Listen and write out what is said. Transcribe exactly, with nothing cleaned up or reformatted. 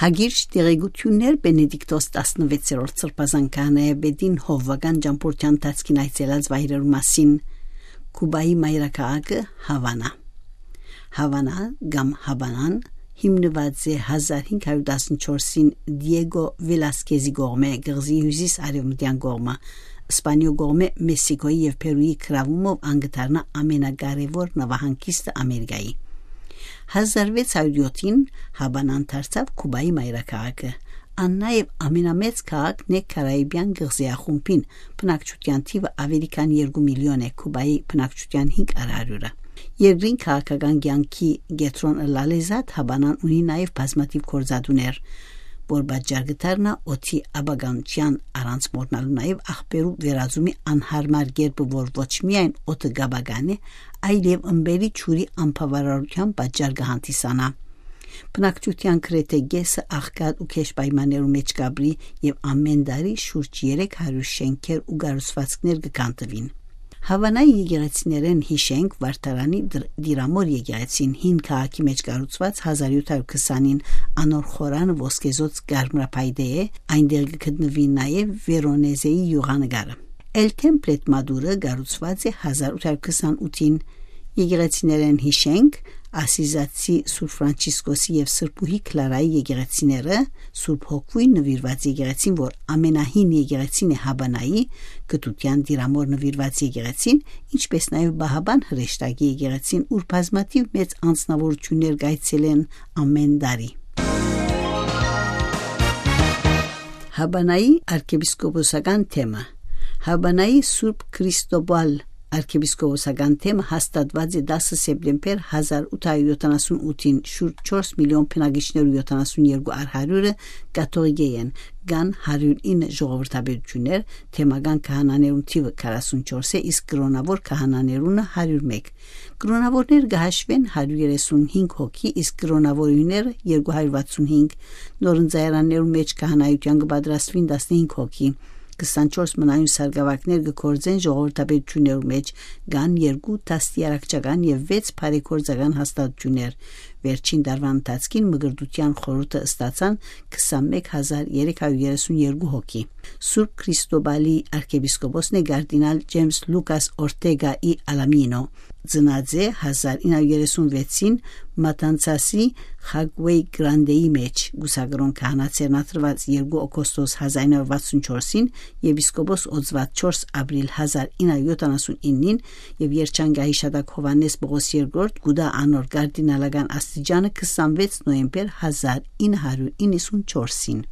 Ագիրճ տեղեկութիւններ Բենեդիկտոս տասնվեցերորդ սրբազան քահանայապետին հովուական ճամբորդութեան ընթացքին այցելած վայրերու մասին։ Կուբայի մայրաքաղաքը Հավանա։ Հավանա կամ Հաբանան հիմնուած է հազար հինգ հարիւր տասնչորսին Դիեգո Վելասկեզի կողմէ կղզի հիւսիս արեւմտեան կողմը, Սպանիոյ կողմէ Մեսիքոյի եւ Փերուի գրաւումով ան կը դառնայ ամենակարեւոր նավահանգիստը Ամերիկայի։ Հազար վեց հարիւր յոթին Հաբանան դարձաւ Կուբայի մայրաքաղաքը։ Ան նաեւ ամենամեծ քաղաքն է Կարաիբեան կղզիախումբին, բնակչութեան թիւը աւելի քան երկու միլիոն է, Կուբայի բնակչութեան հինգ առ հարիւրը։ Երկրին քաղաքական կեանքի կեդրոն ըլլալէ զատ Հաբանան ունի նաեւ բազմաթիւ գործատուներ, որ պատճառ կը դառնայ օդի ապականչեան, առանց մոռնալու նաեւ աղբերու վերածումի անհարմար կերպը, որ ոչ միայն օդը կ'ապականէ, այլեւ ըմպելի ջուրի անբաւարարութեան պատճառ կը հանդիսանայ։ Բնակչութեան գրեթէ կէսը աղքատ ու գէշ պայմաններու մէջ կ'ապրի եւ ամէն տարի շուրջ երեք հարիւր շէնքեր ու կառուցուածքներ կը քանդուին։ Հաւանայի եկեղեցիներէն յիշենք Վարդարանի դր-, Դիրամոր եկեղեցին, հին քաղաքի մէջ կառուցուած հազար յոթ հարիւր քսանին, անոր խորանը ոսկեզօծ կարմրափայտե է, այնտեղ կը գտնուի նաեւ Վերոնեզեի յուղանկարը։ El Templet Maduro կառուցուած է հազար ութ հարիւր քսանութին։ Եկեղեցիներէն յիշենք Ասիզացի Սուրբ Ֆրանցիսկոսի եւ Սրբուհի Քլարայի եկեղեցիները, Սուրբ Հոգւոյն նուիրուած եկեղեցին, որ ամենահին եկեղեցին է Հաբանայի, Կտութեան Դիրամոր նուիրուած եկեղեցին, ինչպէս նաեւ Բահաբան հրեշտակի եկեղեցին, ուր բազմաթիւ մեծ անձնաւորութիւններ կ'այցելեն ամէն տարի։ Հաբանայի արքեպիսկոպոսական թեմը։ Հաբանայի Սուրբ Քրիստոբալ արքեպիսկոպոսական թեմը հաստատուած է տասը սեպտեմբեր հազար ութ հարիւր յոթանասուն ութին, շուրջ չորս միլիոն բնակիչներու յոթանասուն երկու առ հարիւրը կաթողիկէ են, կան հարիւր ինը ժողովրդապետութիւններ, թեմական քահանաներուն թիւը քառասուն չորս է, իսկ կրօնաւոր քահանաներունը հարիւր մէկ։ Կրօնաւորներ կը հաշուեն հարիւր երեսուն հինգ հոգի, իսկ կրօնաւորուհիները երկու հարիւր վաթսուն հինգ։ Նոր ընծայարաններուն մէջ քահանայութեան կը պատրաստուին տասնհինգ հոգի։ Քսանչորս մնայուն սարկաւագներ կը գործեն ժողովրդապետութիւններու մէջ, կան երկու դաստիարակչական եւ վեց բարեգործական հաստատութիւններ։ Վերջին տարուան ընթացքին Մկրտութեան խորհուրդը ստացան քսանմեկ հազար երեք հարիւր երեսուն երկու հոգի։ Սուրբ Քրիստոբալի արքեպիսկոպոսն է կարդինալ Ջեյմս Լուկաս Օրտեգա ի Ալամինո։ Ծնած է հազար ինը հարիւր երեսուն վեցին Մատանցասի Խագուեյ Գրանտեի մէջ, կուսակրօն քահանա ձեռնադրուած երկու օգոստոս հազար ինը հարիւր վաթսուն չորսին, եպիսկոպոս օծուած չորս ապրիլ հազար ինը հարիւր յոթանասուն իննին, եւ երջանկահիշատակ Յովհաննէս Պողոս երկրորդ կու տայ անոր կարդինալական աստիճանը քսանվեց նոյեմբեր հազար ինը հարիւր իննսուն չորսին։